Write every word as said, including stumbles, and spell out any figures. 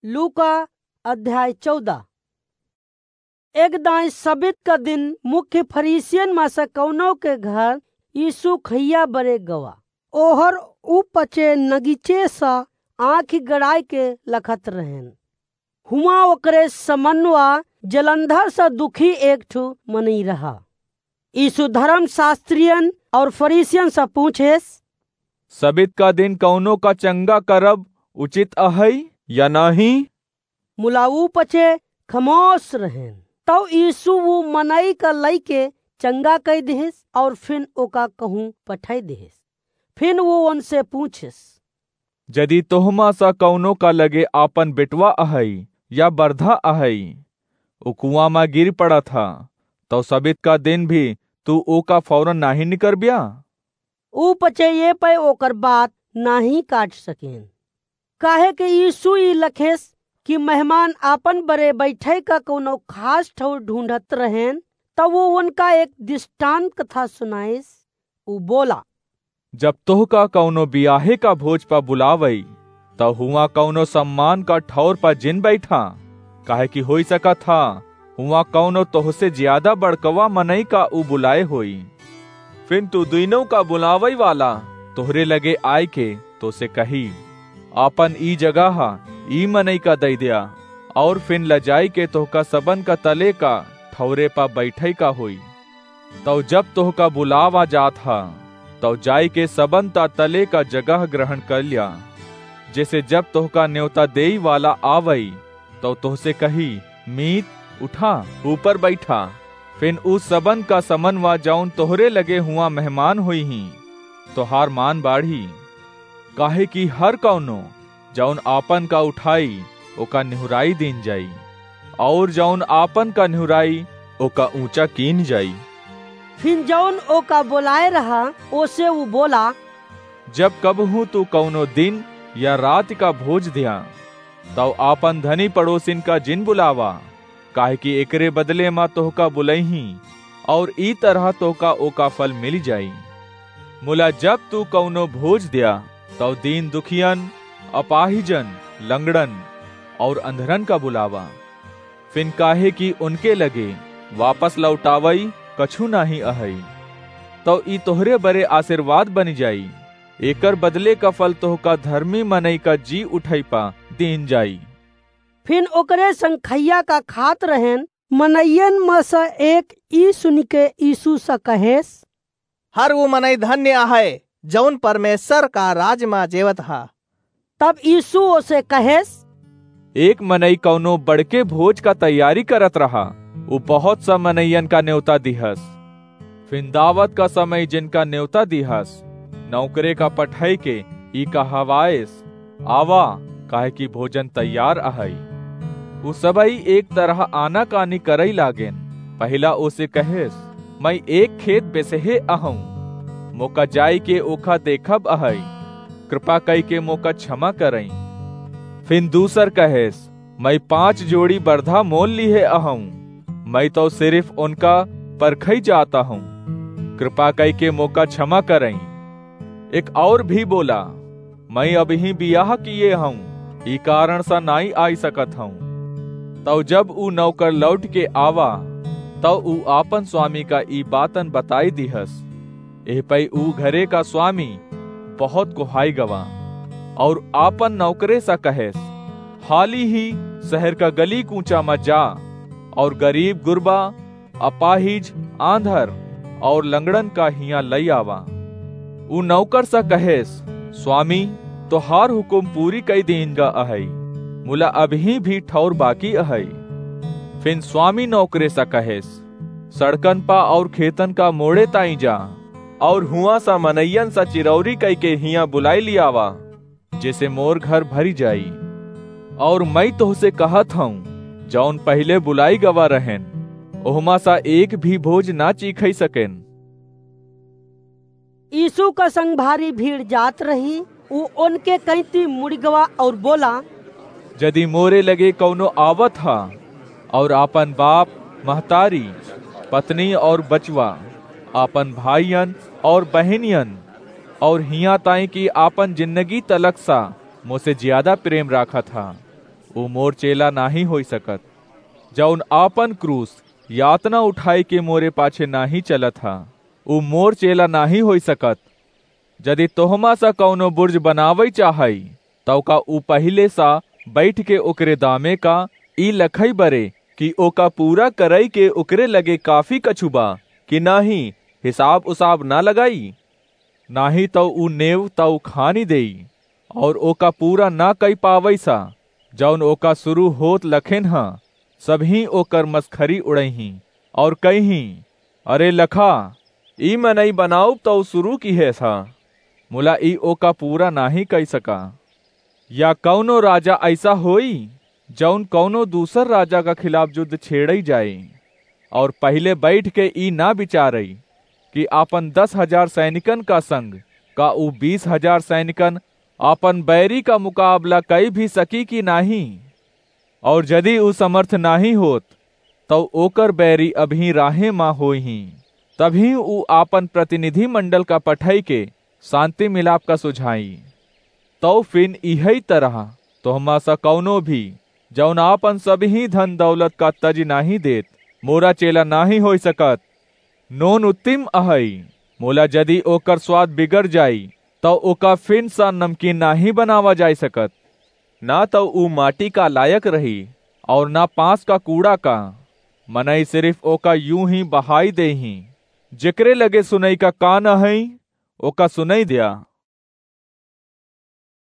लूका अध्याय चौदह। एक दाईं सबित का दिन मुख्य फरीसियन मा से कउनो के घर यीशु खइया बरे गवा। ओहर उ पचे नगीचे सा आँखि गड़ाइ के लखत रहेन। हुआँ ओकरे समनवा जलंधर सा दुखी एक ठु मनई रहा। यीशु धर्मशास्त्रियन और फरीसियन सा पूछेस, सबित का दिन कउनो का चंगा करब उचित अहइ या नाहीं? मुला उ पचे खमोस रहेन। तउ यीशु उ मनई का लइके चंगा कइ दिहिस और फिन ओका कहूँ पठइ दिहिस। फिन उ ओनसे पूछिस, जदि तोहमा सा कउनो का लगे आपन बेटवा अहइ या बरधा अहइ, उ कुआँ मा गिर पड़त ह, तउ सबित का दिन भी तू ओका फौरन नाहीं निकरब्या? उ पचे ये पै ओकर बात नाहीं काट सकेन, काहे कि यीशु ई लखेस कि मेहमान आपन बरे बैठइ का कउनो खास ठउर ढूँढत रहेन, तउ उ ओनका एक दृष्टांत कथा सुनाइस। उ बोला, जब तोहका कउनो बियाहे का भोज पा बुलावइ, तउ हुआँ कउनो सम्मान का ठउर पा जिन बैठा, काहे कि होइ सकत ह, हुआँ कउनो तोहसे ज्यादा बड़कवा मनई का उ बुलाए होई। फिन तू दुइनों का बुलावइ वाला तोहरे लगे आइके तोसे कही, आपन ई जगह ई मनई का दइ द्या, और फिन लजाइके तोहका सबन का तले का ठउरे पा बैठइ का होई। तउ जब तोहका बुलावा जात ह, तउ जाइके सबन ता तले का जगह ग्रहण कर ल्या। जेसे जब तोहका नेवता देई वाला आवइ, तउ तोहसे कही, मीत, उठा, ऊपर बैठा। फिन उ सबन का समनवा जउन तोहरे लगे हुआँ मेहमान होइहीं, तोहार मान बाढ़ी। काहे कि हर कउनो जउन आपन का उठाई, ओका निहुराई दीन जाई, और जउन आपन का निहुराई, ओका ऊँचा कीन जाई। फिन जउन ओका बोलाए रहा, ओसे उ बोला, जब कबहूँ तू कउनो दिन या रात का भोज द्या, तउ आपन धनी पड़ोसिन का जिन बुलावा, काहे कि एकरे बदले मा तोहका बुलइहीं, और ई तरह तोहका ओका फल मिलि जाई। मुला जब तू कउनो भोज द्या, तउ दीन दुखियन, अपाहिजन, लंगड़न और अंधरन का बुलावा। फिन काहे कि उनके लगे वापस लौटावइ कछु नाहीं अहइ, तउ ई तोहरे बरे आशीर्वाद बनि जाई। एकर बदले का फल तोहका धर्मी मनई का जी उठइ पा दीन जाई। फिन ओकरे संग खइया का खात रहेन। मनइयन म से एक ई सुनिके यीशु से कहेस, हर उ मनई धन्य अहइ, जउन परमेश्वर का राज म जेवत ह। तब यीशु ओसे कहेस, एक मनई कउनो बड़के भोज का तैयारी करत रहा, उ बहुत सा मनइयन का नेवता दिहस। फिन दावत का समय जिनका नेवता दिहस, नौकरे का पठइके ई कहवाइस, आवा, काहे कि भोजन तैयार अहइ। उ सबइ एक तरह आनाकानी करइ लागेन। पहिला ओसे कहेस, मैं एक खेत बेसहे अहउँ, मोका जाइके ओखा देखब अहइ, कृपा कइके मोका क्षमा करइँ। फिन दूसर कहेस, मैं पाँच जोड़ी बरधा मोल लिहे अहउँ, मैं तउ सिरिफ ओनका परखइ जात अहउँ, कृपा कइके मोका क्षमा करइँ। एक और भी बोला, मैं अबहीं बियाह किए हउँ, ई कारण सा नाहीं आइ सकत हउँ। तउ जब उ नौकर लौटिके आवा, तउ उ आपन स्वामी का ई बातन बताइ दिहस। एह पइ उ घरे का स्वामी बहुत कोहाइ गवा, और आपन नौकरे सा कहेस, हाली ही सहर का गली कूँचा म जा, और गरीब गुरबा, अपाहिज, आँधर और लंगड़न का हियाँ लइ आवा। उ नौकर सा कहेस, स्वामी, तोहार हुकुम पूरी कइ दीन गा अहइ, मुला अबहीं भी ठौर बाकी अहइ। फिन स्वामी नौकरे सा कहेस, सड़कन पा और खेतन का मोड़े ताईं जा, और हुआँ सा मनइयन सा चिरौरी कइके हियाँ बुलाइ लिआवा, जेसे मोर घर भरि जाई। और मइँ तोहसे कहत हउँ, जउन पहिले बुलाइ गवा रहेन, ओहमा सा एक भी भोज ना चीखइ सकेन। यीसू का संग भारी भीड़ जात रही, ऊ ओनके कइँती मुड़ि गवा और बोला, जदि मोरे लगे कउनो आवत ह और आपन बाप, महतारी, पत्नी और बचवा, आपन भाइयन और बहिनियन, और हियाँ ताईं कि आपन जिन्नगी तलक सा मोसे जियादा प्रेम राखत ह, उ मोर चेला नाहीं होइ सकत। जउन आपन क्रूस यातना उठाइ के मोरे पाछे नाहीं चलत ह, उ मोर चेला नाहीं होइ सकत। जदि तोहमा सा कउनो बुर्ज बनावइ चाहइ, त ओका उ पहिले सा बइठ के ओकरे दामे का ई लखइ बरे कि ओका पूरा करइ के ओकरे लगे काफी कछु बा कि नाहीं, हिसाब उसाब न लगाई। नाहीं तउ उ नेव तउ खानि देई, अउर ओका पूरा न कइ पावइ सा। जउन ओका सुरू होत लखेन ह, सबहीं ओकर मसखरी उड़इहीं, अउर कइहीं, "अरे लखा, ई मनई बनाउब तउ सुरू किहेस ह, मुला ई ओका पूरा नाहीं कइ सका।" या कउनो राजा अइसा होई, जउन कउनो दूसर राजा का खिलाफ जुद्ध छेड़इ जाए, अउर पहिले बइठ के ई न बिचारइ कि आपन दस हजार सैनिकन का संग का उ बीस हजार सैनिकन आपन बैरी का मुकाबला कइ भी सकी कि नाहीं? अउर जदि उ समर्थ नाहीं होत, तउ ओकर बैरी अबहीं राहे मा होइहीं। तबहीं उ आपन प्रतिनिधि मंडल का पठइ के सांति मिलाप का सुझाई। तउ फिन इहइ तरह तोहमा सा कउनो भी, जउन आपन सबहीं धन दौलत का तजि नाहीं देत, मोरा चेला नाहीं होइ सकत। नोन उत्तिम अहइ, मोला जदि ओकर स्वाद बिगड़ जाई, तउ ओका फिन सा नमकीन नाहीं बनावा जाइ सकत। न तउ उ माटी का लायक रही, अउर न पाँस का कूड़ा का। मनई सिरिफ ओका यूं ही बहाइ देइहीं। जेकरे लगे सुनइ का कान अहइ, ओका सुनइ द्या।